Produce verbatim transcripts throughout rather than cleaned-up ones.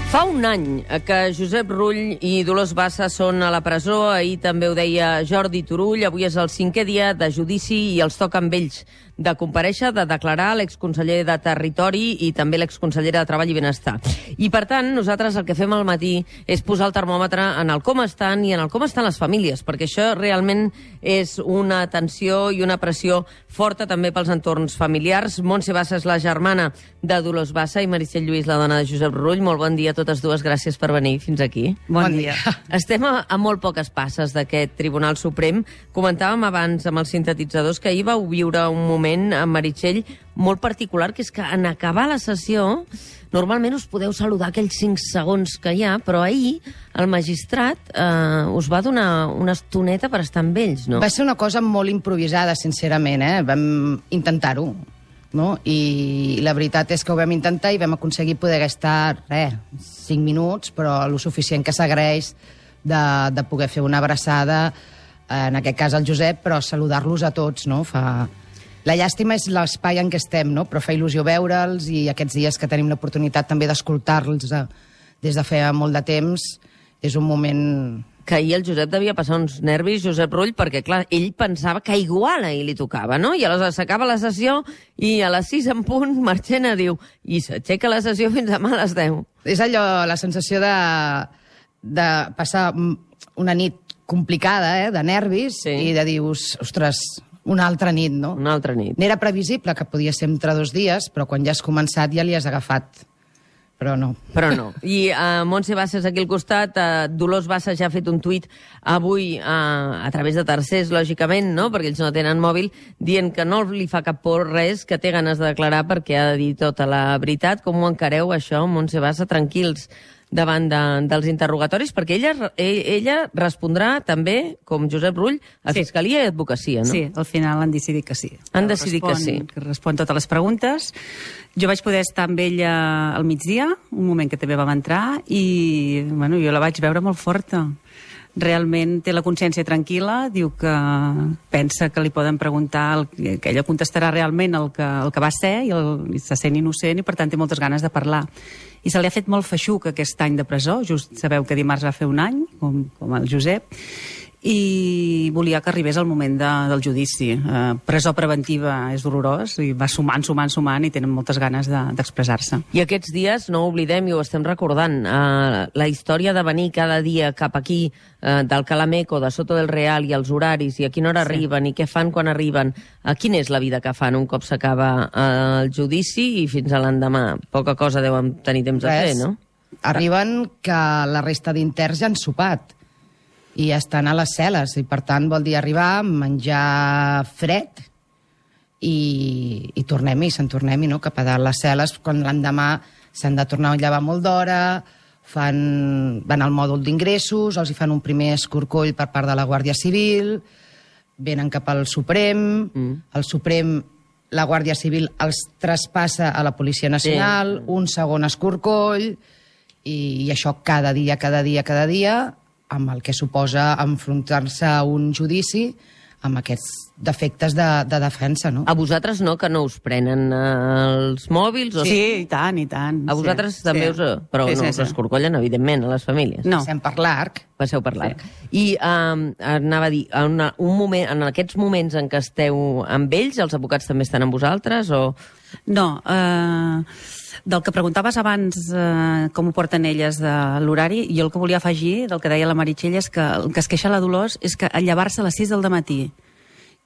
Fa un any que Josep Rull i Dolors Bassa són a la presó. Ahir també ho deia Jordi Turull. Avui és el cinquè dia de judici i els toca amb ells de comparèixer, de declarar l'exconseller de Territori i també l'exconsellera de Treball i Benestar. I, per tant, nosaltres el que fem al matí és posar el termòmetre en el com estan i en el com estan les famílies, perquè això realment és una tensió i una pressió forta també pels entorns familiars. Montse Bassa és la germana de Dolors Bassa i Meritxell Lluís, la dona de Josep Rull. Molt bon dia a totes dues, gràcies per venir fins aquí. Bon, bon dia. dia. Estem a, a molt poques passes d'aquest Tribunal Suprem. Comentàvem abans amb els sintetitzadors que ahir vau viure un moment amb Meritxell molt particular, que és que en acabar la sessió normalment us podeu saludar aquells cinc segons que hi ha, però ahir el magistrat eh, us va donar una estoneta per estar amb ells, no? Va ser una cosa molt improvisada, sincerament, eh? Vam intentar-ho, no? I la veritat és que ho vam intentar i vam aconseguir poder estar, res, cinc minuts, però el suficient que s'agraeix de, de poder fer una abraçada, en aquest cas al Josep, però saludar-los a tots, no? Fa... La llàstima és l'espai en què estem, no? Però fa il·lusió veure'ls i aquests dies que tenim l'oportunitat també d'escoltar-los des de feia molt de temps, és un moment... Que ahir el Josep devia passar uns nervis, Josep Rull, perquè, clar, ell pensava que igual ahir li tocava, no? I aleshores s'acaba la sessió i a les sis en punt Marchena diu i s'aixeca la sessió fins demà a les deu. És allò, la sensació de, de passar una nit complicada, eh? De nervis, sí. I de dius, ostres... Una altra nit, no? Una altra nit. N'era previsible que podia ser entre dos dies, però quan ja has començat ja li has agafat. Però no. Però no. I uh, Montse Bassa és aquí al costat. Uh, Dolors Bassa ja ha fet un tuit avui uh, a través de tercers, lògicament, no? Perquè ells no tenen mòbil, dient que no li fa cap por res, que té ganes de declarar perquè ha de dir tota la veritat. Com ho encareu, això, Montse Bassa? Tranquils davant de, dels interrogatoris, perquè ella, ella respondrà també, com Josep Rull, a sí. Fiscalia i Advocacia, no? Sí, al final han decidit que sí. Han decidit respon, que sí. Que respon totes les preguntes. Jo vaig poder estar amb ella al migdia, un moment que també vam entrar, i bueno, jo la vaig veure molt forta. Realment té la consciència tranquil·la, diu que pensa que li poden preguntar, el, que ella contestarà realment el que, el que va ser, i, el, i se sent innocent, i per tant té moltes ganes de parlar. I se li ha fet molt feixuc aquest any de presó, just sabeu que dimarts va fer un any, com, com el Josep, i volia que arribés el moment de, del judici. Eh, presó preventiva és dolorós, i va sumant, sumant, sumant, i tenen moltes ganes de, d'expressar-se. I aquests dies, no ho oblidem i ho estem recordant, eh, la història de venir cada dia cap aquí, eh, del Calameco, de Soto del Real, i els horaris, i a quina hora sí. arriben, i què fan quan arriben, eh, quina és la vida que fan un cop s'acaba eh, el judici i fins a l'endemà. Poca cosa deuen tenir temps Res. de fer, no? Arriben que la resta d'interns ja han sopat i estan a les cel·les, i per tant vol dir arribar, menjar fred i, i tornem-hi, se'n tornem-hi, no? Cap a dalt les cel·les, quan l'endemà s'han de tornar a llevar molt d'hora, fan, van al mòdul d'ingressos, els hi fan un primer escorcoll per part de la Guàrdia Civil, venen cap al Suprem, mm. el Suprem, la Guàrdia Civil els traspassa a la Policia Nacional, sí. un segon escorcoll, i, i això cada dia, cada dia, cada dia, amb el que suposa enfrontar-se a un judici amb aquests defectes de, de defensa, no? A vosaltres no, que no us prenen eh, els mòbils? O... Sí, i tant, i tant. A vosaltres sí. també sí. us... Però sí, no sí, us escorcollen, evidentment, a les famílies. No. Passem per l'arc. Passeu per l'arc. Sí. I um, anava a dir, en, una, un moment, en aquests moments en què esteu amb ells, els advocats també estan amb vosaltres, o...? No, eh... Del que preguntaves abans, eh, com ho porten elles de l'horari, jo el que volia afegir, del que deia la Meritxell, és que el que es queixa la Dolors és que al llevar-se a les sis del dematí,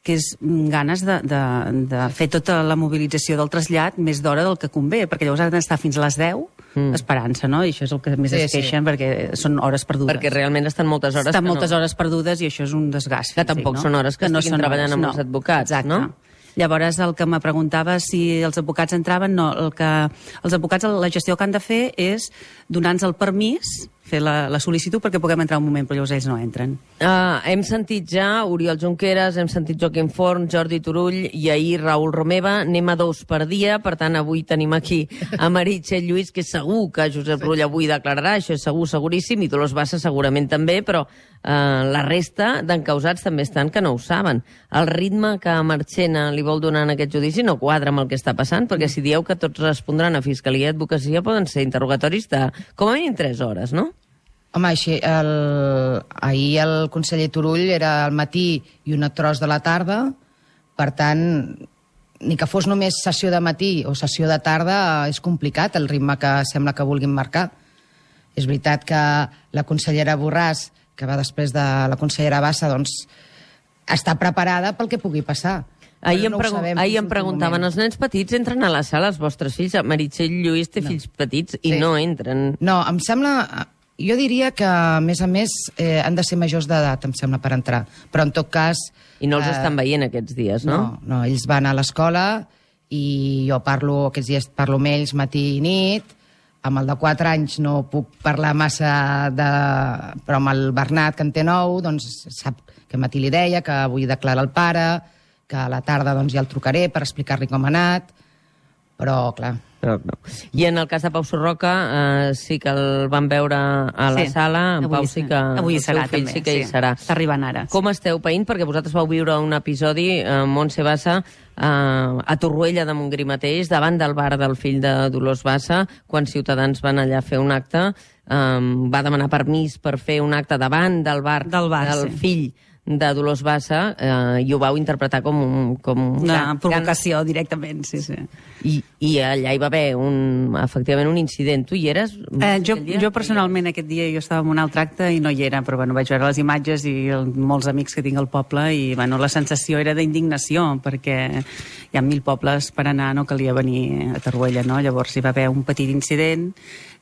que és ganes de, de, de fer tota la mobilització del trasllat més d'hora del que convé, perquè llavors han d'estar fins a les deu mm. esperant-se, no? I això és el que més sí, es queixen, sí. perquè són hores perdudes. Perquè realment estan moltes hores estan que moltes no. hores perdudes, i això és un desgast. Que tampoc no? són hores que, que no estiguin treballant hores, amb no. els advocats, Exacte. no? Llavors, el que me preguntava si els advocats entraven, no. El que, els advocats, la gestió que han de fer és donar-nos el permís fer la, la sol·licitud perquè puguem entrar un moment, però llavors ells no entren. Uh, hem sentit ja Oriol Junqueras, hem sentit Joaquim Forn, Jordi Turull i ahir Raül Romeva. Anem a dos per dia, per tant avui tenim aquí a Meritxell Lluís, que és segur que Josep Rull avui declararà, això és segur, seguríssim, i Dolors Bassa segurament també, però uh, la resta d'encausats també estan que no ho saben. El ritme que Marchena li vol donar en aquest judici no quadra amb el que està passant, perquè si dieu que tots respondran a Fiscalia i Advocacia poden ser interrogatoris de com a mínim tres hores, no? Home, així, el... ahir el conseller Turull era al matí i un tros de la tarda, per tant, ni que fos només sessió de matí o sessió de tarda, és complicat el ritme que sembla que vulguin marcar. És veritat que la consellera Borràs, que va després de la consellera Bassa, doncs, està preparada pel que pugui passar. Ahir em, no pregu ahir em preguntaven, moment. Els nens petits entren a la sala, els vostres fills? Meritxell Lluís té no. fills petits i sí. no entren. No, em sembla... Jo diria que, a més a més, eh, han de ser majors d'edat, em sembla, per entrar. Però, en tot cas... I no els eh, estan veient aquests dies, no? No, no, ells van a l'escola i jo parlo, aquests dies parlo amb ells matí i nit. Amb el de quatre anys no puc parlar massa, de... però amb el Bernat, que en té nou, doncs sap que matí li deia que avui declara el pare, que a la tarda doncs, ja el trucaré per explicar-li com ha anat, però, clar... No, no. I en el cas de Pau Surroca eh, sí que el van veure a la sí. sala, en avui Pau sí que avui el seu serà, fill també, sí que sí. hi serà. Està arribant ara. Com esteu païnt? Perquè vosaltres vau viure un episodi, eh, Montse Bassa, eh, a Torroella de Montgrí mateix, davant del bar del fill de Dolors Bassa, quan Ciutadans van allà a fer un acte, eh, va demanar permís per fer un acte davant del bar del, bar, del sí. fill de Dolors Bassa, eh, i ho vau interpretar com, un, com una gran, provocació gran... directament, sí, sí. I, I allà hi va haver un, efectivament un incident. Tu hi eres? Eh, jo, jo personalment aquest dia jo estava en un altre acte i no hi era, però bueno, vaig veure les imatges i el, molts amics que tinc al poble i bueno, la sensació era d'indignació perquè hi ha mil pobles per anar, no calia venir a Torroella, no? Llavors hi va haver un petit incident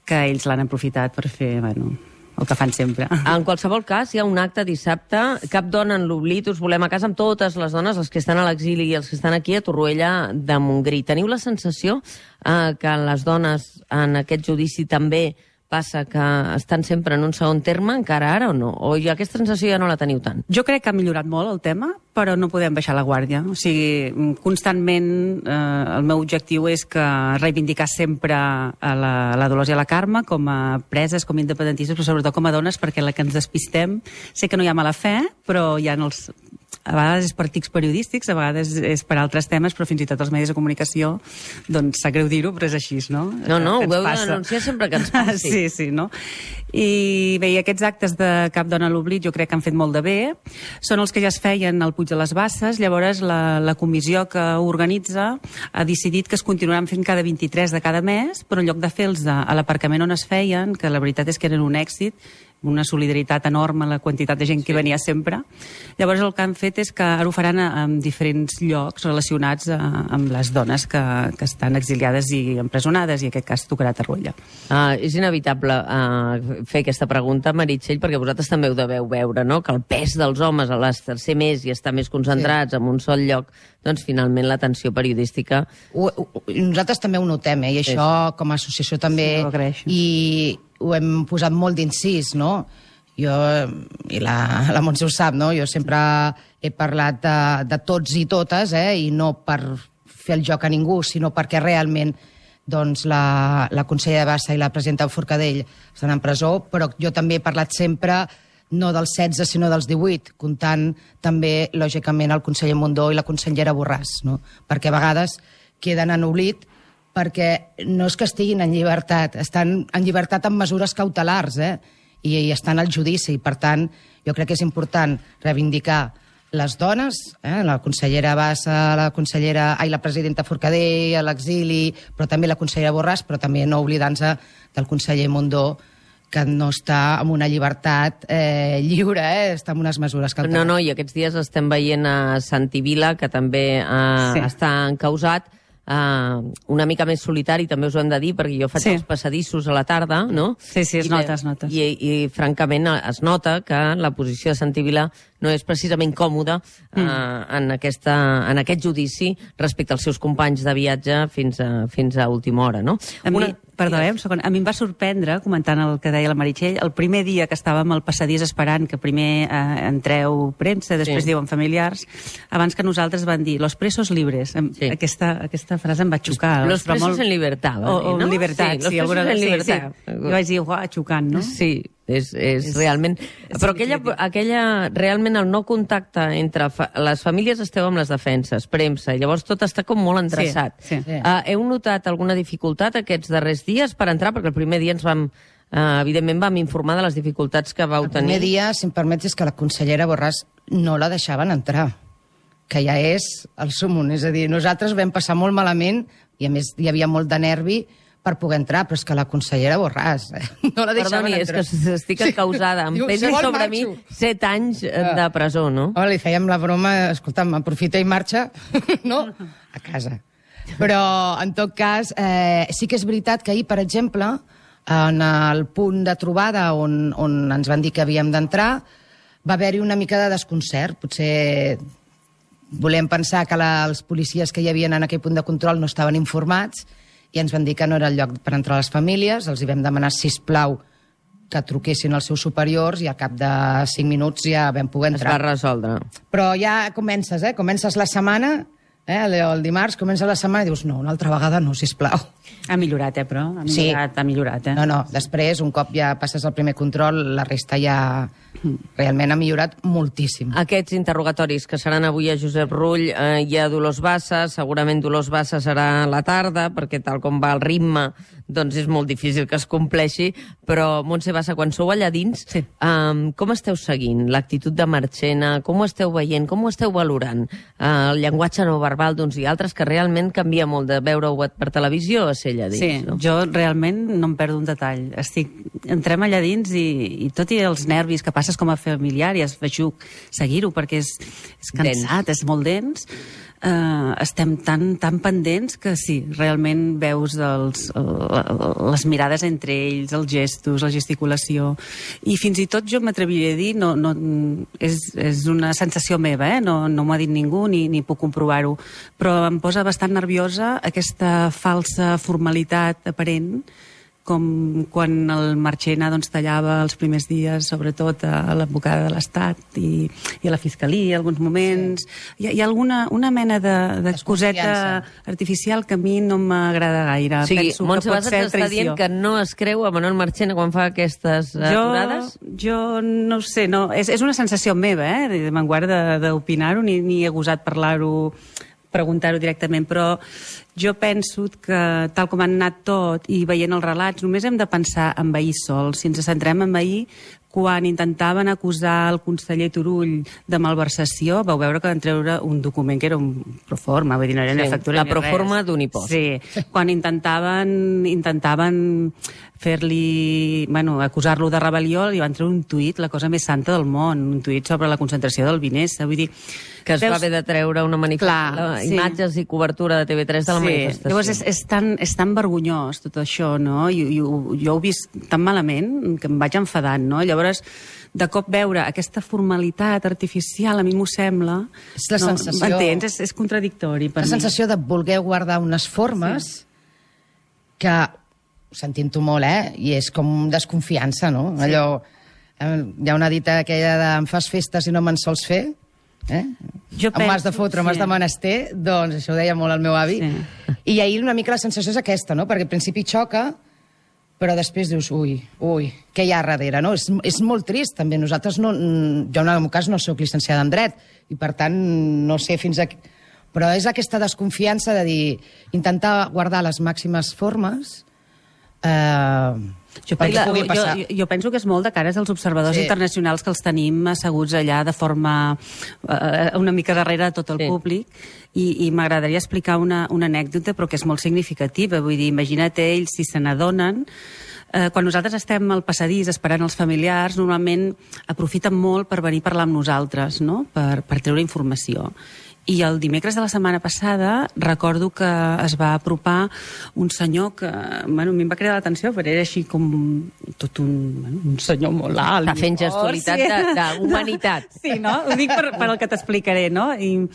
que ells l'han aprofitat per fer, bueno, el que fan sempre. En qualsevol cas, hi ha un acte dissabte, Cap dona en l'oblit, us volem a casa amb totes les dones, els que estan a l'exili i els que estan aquí a Torroella de Montgrí. Teniu la sensació eh, que les dones en aquest judici també passa que estan sempre en un segon terme, encara ara o no? O ja aquesta sensació ja no la teniu tant? Jo crec que ha millorat molt el tema, però no podem baixar la guàrdia. O sigui, constantment eh, el meu objectiu és que reivindicar sempre a la, a la Dolors i a la Carme com a preses, com a independentistes, però sobretot com a dones, perquè la que ens despistem, sé que no hi ha mala fe, però hi ha els... a vegades és per tics periodístics, a vegades és per altres temes, però fins i tot els medis de comunicació, doncs sap greu dir-ho, però és així, no? No, no, ho heu d'anunciar sempre que ens passi. Sí, sí, no? I bé, aquests actes de Cap dona a l'oblit jo crec que han fet molt de bé. Són els que ja es feien al Puig de les Basses, llavors la, la comissió que ho organitza ha decidit que es continuaran fent cada vint-i-tres de cada mes, però en lloc de fer-los a l'aparcament on es feien, que la veritat és que eren un èxit, una solidaritat enorme, la quantitat de gent que sí. venia sempre. Llavors el que han fet és que ara ho faran en diferents llocs relacionats a, amb les dones que, que estan exiliades i empresonades, i en aquest cas tocarà Torroella. Uh, és inevitable uh, fer aquesta pregunta, Meritxell, perquè vosaltres també ho deveu veure, no? Que el pes dels homes a l'estercer més i estar més concentrats sí. en un sol lloc, doncs finalment l'atenció periodística... Ho, ho, nosaltres també ho notem, eh? I això sí. com a associació també... Sí, i ho hem posat molt d'incís, no? Jo, i la, la Montse ho sap, no? Jo sempre he parlat de, de tots i totes, eh? I no per fer el joc a ningú, sinó perquè realment doncs, la, la consellera Bassa i la presidenta Forcadell estan en presó, però jo també he parlat sempre no dels setze, sinó dels divuit, comptant també, lògicament, el conseller Mundó i la consellera Borràs, no? Perquè a vegades queden en oblit perquè no és que estiguin en llibertat, estan en llibertat amb mesures cautelars, eh? I, i estan al judici. Per tant, jo crec que és important reivindicar les dones, eh? La consellera Bassa, la consellera, ai, la presidenta Forcadell, a l'exili, però també la consellera Borràs, però també no oblidant-se del conseller Mundó, que no està en una llibertat eh, lliure, eh? Està en unes mesures cautelars. No, no, i aquests dies estem veient a Santi Vila, que també eh, sí. està encausat, Uh, una mica més solitari, també us ho hem de dir, perquè jo faig sí. els passadissos a la tarda, no? Sí, sí, es I nota, es nota. I, i, francament, es nota que la posició de Santi Vila no és precisament còmoda mm. uh, en, aquesta, en aquest judici respecte als seus companys de viatge fins a, fins a última hora, no? A una... mi, Perdó, eh, un segon. A mi em va sorprendre, comentant el que deia la Meritxell, el primer dia que estàvem al passadís esperant que primer eh, entreu premsa, després sí. diuen familiars, abans que nosaltres van dir los presos libres. Sí. Aquesta, aquesta frase em va xocar. Los presos molt... en libertad, va dir, no? O en libertat, sí. sí, sí alguna... en libertat. Sí, sí. Jo vaig dir, uah, xocant, no? Sí, és, és, és realment... És però aquella, aquella, realment el no contacte entre fa... les famílies esteu amb les defenses, premsa, i llavors tot està com molt endreçat. Sí, sí. Uh, heu notat alguna dificultat aquests darrers dies per entrar? Perquè el primer dia ens vam... Uh, evidentment vam informar de les dificultats que vau tenir. El primer dia, si em permets, és que la consellera Borràs no la deixaven entrar, que ja és el súmum. És a dir, nosaltres vam passar molt malament, i a més hi havia molt de nervi, per poder entrar, però és que la consellera Borràs eh? no la deixaven Perdoni, entrar. és que estic encausada. Em pesen sobre mi set anys de presó, no? Oh, li fèiem la broma, escolta'm, aprofita i marxa, no? A casa. Però, en tot cas, eh, sí que és veritat que ahir, per exemple, en el punt de trobada on, on ens van dir que havíem d'entrar, va haver-hi una mica de desconcert. Potser volem pensar que la, els policies que hi havia en aquell punt de control no estaven informats, i ens van dir que no era el lloc per entrar a les famílies, els hi vam demanar, sisplau, que truquessin als seus superiors i al cap de cinc minuts ja vam poder entrar. Es va resoldre. Però ja comences, eh? Comences la setmana, eh? el, el dimarts, comences la setmana i dius, no, una altra vegada no, sisplau. Ha millorat, eh, però? Ha millorat, sí. ha millorat, eh? No, no, després, un cop ja passes el primer control, la resta ja realment ha millorat moltíssim. Aquests interrogatoris que seran avui a Josep Rull eh, i a Dolors Bassa, segurament Dolors Bassa serà a la tarda, perquè tal com va el ritme, doncs és molt difícil que es compleixi, però Montse Bassa, quan sou allà dins, sí. eh, com esteu seguint l'actitud de Marchena, com ho esteu veient, com ho esteu valorant? Eh, el llenguatge no verbal d'uns i altres, que realment canvia molt de veure-ho per televisió a ser allà dins. Sí, no? Jo realment no em perdo un detall. Estic... Entrem allà dins i, i tot i els nervis que passes com a familiar i es feixuc seguir-ho perquè és, és cansat, dens. És molt dens, eh, estem tan, tan pendents que sí, realment veus els, les mirades entre ells, els gestos, la gesticulació, i fins i tot jo m'atreviria a dir, no, no, és, és una sensació meva, eh? no, no m'ho ha dit ningú ni, ni puc comprovar-ho, però em posa bastant nerviosa aquesta falsa formalitat aparent, com quan el Marchena doncs, tallava els primers dies, sobretot a l'advocada de l'Estat i, i a la Fiscalia, alguns moments. Sí. Hi, ha, hi ha alguna una mena de, de coseta artificial que a mi no m'agrada gaire. O sigui, Penso Montse que pot Bassa ser t'està dient que no es creu a Manuel Marchena quan fa aquestes aturades? Jo, jo no ho sé, no. És, és una sensació meva, eh? Me'n guarda d'opinar-ho, ni, ni he gosat parlar-ho, preguntar-ho directament, però jo penso que, tal com han anat tot i veient els relats, només hem de pensar en ahir sol. Si ens centrem en ahir, quan intentaven acusar el conseller Turull de malversació, vau veure que van treure un document que era un proforma, vull dir, no era una sí, factura la proforma d'un impost. Sí, quan intentaven, intentaven fer-li, bueno, acusar-lo de rebel·lió, li van treure un tuit, la cosa més santa del món, un tuit sobre la concentració del Vinessa, vull dir... Que es veus... va haver de treure una manifestació, sí. imatges i cobertura de T V tres de la sí. manifestació. Llavors és, és, tan, és tan vergonyós tot això, no? I, i, jo ho he vist tan malament que em vaig enfadant, no? Llavors, de cop veure aquesta formalitat artificial, a mi m'ho sembla... És la no, sensació... M'entens? És, és contradictori per la mi. La sensació de voler guardar unes formes sí. que, sentint-ho molt, eh? I és com desconfiança, no? Sí. Allò... Eh, hi ha una dita aquella de em fas festes i no me'n sols fer... Eh? Jo em m'has de fotre, sí. m'has de menester, doncs això ho deia molt el meu avi. Sí. I ahir una mica la sensació és aquesta, no? Perquè al principi xoca, però després dius, ui, ui, què hi ha darrere, no? És, és molt trist, també. Nosaltres, no, jo en el meu cas no soc llicenciada en dret, i per tant no sé fins a... Però és aquesta desconfiança de dir, intentar guardar les màximes formes... Eh, Jo, penso, jo, jo penso que és molt de cares als observadors sí. internacionals que els tenim asseguts allà de forma eh, una mica darrere de tot el sí. públic i, i m'agradaria explicar una, una anècdota però que és molt significativa, vull dir, imagina't ells si se n'adonen. Eh, quan nosaltres estem al passadís esperant els familiars, normalment aprofiten molt per venir a parlar amb nosaltres, no? per, per treure informació. I el dimecres de la setmana passada recordo que es va apropar un senyor que, bueno, a mi em va cridar l'atenció, però era així com tot un, bueno, un senyor molt alt. Està fent gestualitat d'humanitat. Sí, no? Ho dic per, per el que t'explicaré, no? I,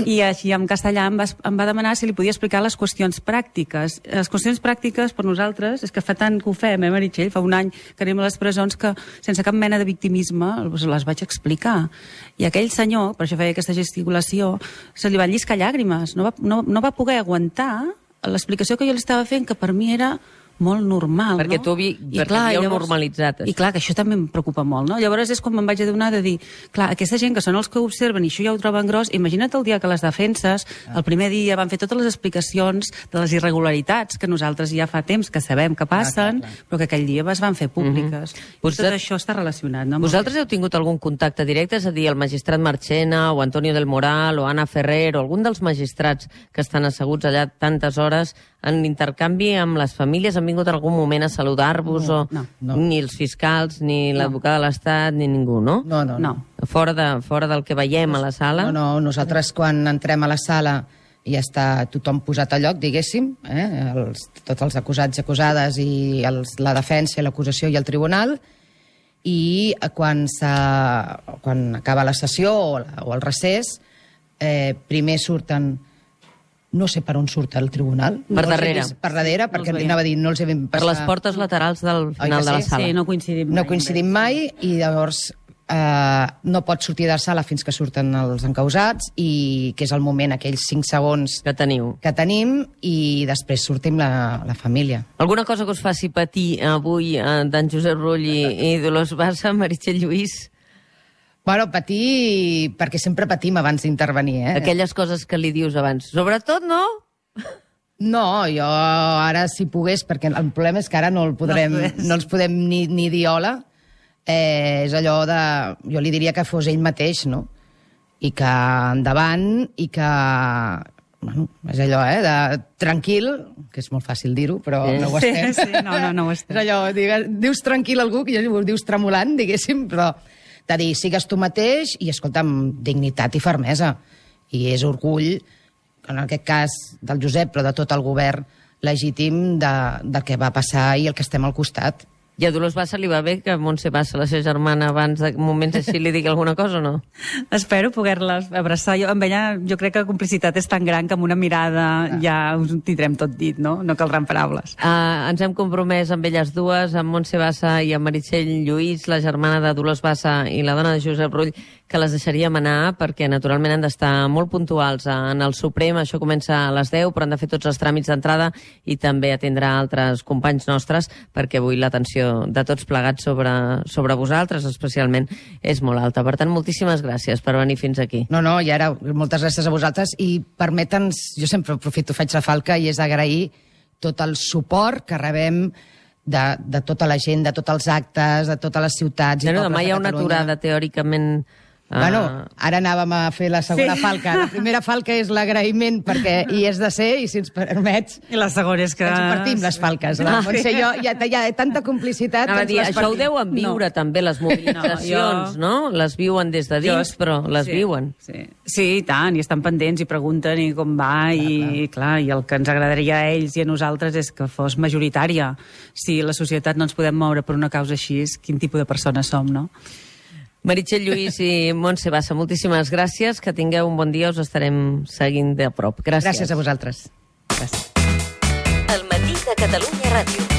I així en castellà em va, em va demanar si li podia explicar les qüestions pràctiques. Les qüestions pràctiques per nosaltres, és que fa tant que ho fem, eh, Meritxell? Fa un any que anem a les presons que sense cap mena de victimisme les vaig explicar. I aquell senyor, per això feia aquesta gesticulació, se li van lliscar llàgrimes. No va, no, no va poder aguantar l'explicació que jo li estava fent, que per mi era molt normal. Perquè no? tu vi, I perquè clar, havíeu llavors, normalitzat. I clar, que això també em preocupa molt. No? Llavors és quan me'n vaig adonar de dir, clar, aquesta gent que són els que observen i això ja ho troben gros, imagina't el dia que les defenses, el primer dia van fer totes les explicacions de les irregularitats que nosaltres ja fa temps que sabem que passen, ah, clar, clar. Però que aquell dia es van fer públiques. Mm-hmm. I tot això està relacionat. No? Vosaltres heu tingut algun contacte directe? És a dir, el magistrat Marchena o Antonio del Moral o Anna Ferrer o algun dels magistrats que estan asseguts allà tantes hores en intercanvi amb les famílies? Han vingut en algun moment a saludar-vos? No, o no, no. Ni els fiscals, ni no. l'advocat de l'Estat, ni ningú, no? No, no, no. Fora, de, fora del que veiem a la sala? No, no, nosaltres quan entrem a la sala ja està tothom posat a lloc, diguéssim, eh? els, tots els acusats i acusades i els, la defensa, l'acusació i el tribunal, i quan, quan acaba la sessió o, la, o el recés, eh, primer surten... No sé per on surt el tribunal. Per no darrere. Vist, per darrere, no perquè anava a dir, no els he vist passar... Per les portes laterals del final sí? de la sala. Sí, no coincidim mai. No coincidim mai, i llavors eh, no pots sortir de la sala fins que surten els encausats, i que és el moment, aquells cinc segons Que teniu. que tenim, i després sortim la, la família. Alguna cosa que us faci patir avui eh, d'en Josep Rull i, i Dolors Bassa, Meritxell Lluís? Bueno, patir, perquè sempre patim abans d'intervenir, eh? Aquelles coses que li dius abans. Sobretot, no? No, jo ara si pogués, perquè el problema és que ara no, el podrem, no, no els podem ni, ni dir hola, eh, és allò de... Jo li diria que fos ell mateix, no? I que endavant, i que... Bueno, és allò, eh, de tranquil, que és molt fàcil dir-ho, però sí. no ho estem. Sí, sí, no, no, no ho estem. És allò, digues, dius tranquil a algú, que ja ho dius tremolant, diguéssim, però... de dir, sigues tu mateix i, escolta, amb dignitat i fermesa. I és orgull, en aquest cas del Josep, però de tot el govern legítim de, del que va passar i el que estem al costat. I a Dolors Bassa li va bé que Montse Bassa, la seva germana, abans de moments així li digui alguna cosa o no? Espero poder-les abraçar. Jo, amb ella jo crec que la complicitat és tan gran que amb una mirada ah. ja us tindrem tot dit, no? No caldran paraules. Uh, ens hem compromès amb elles dues, amb Montse Bassa i amb Meritxell Lluís, la germana de Dolors Bassa i la dona de Josep Rull, que les deixaríem anar perquè naturalment han d'estar molt puntuals en el Suprem. Això comença a les deu, però han de fer tots els tràmits d'entrada i també atendrà altres companys nostres, perquè avui l'atenció de tots plegats sobre, sobre vosaltres, especialment, és molt alta. Per tant, moltíssimes gràcies per venir fins aquí. No, no, i ara, moltes gràcies a vosaltres, i permeta'ns, jo sempre aprofito, faig la falca, i és agrair tot el suport que rebem de, de tota la gent, de tots els actes, de totes les ciutats i bueno, pobles de Catalunya. Demà hi ha una aturada, teòricament... Uh... Bueno, ara anàvem a fer la segona sí. falca. La primera falca és l'agraïment, perquè hi és de ser, i si ens permets... I la segona és que... Ens partim les falques. La Montse i jo, hi ha, hi ha tanta complicitat... No, dir, això partim. ho deuen viure, no. també, les mobilitzacions, no, jo... no? Les viuen des de dins, jo... però les sí, viuen. Sí. sí, i tant, i estan pendents i pregunten i com va, clar, i clar. clar, i el que ens agradaria a ells i a nosaltres és que fos majoritària. Si la societat no ens podem moure per una causa així, quin tipus de persones som, no? Meritxell Lluís i Montse Bassa, moltíssimes gràcies, que tingueu un bon dia, us estarem seguint de prop. Gràcies. Gràcies a vosaltres. Gràcies. El matí de Catalunya Ràdio.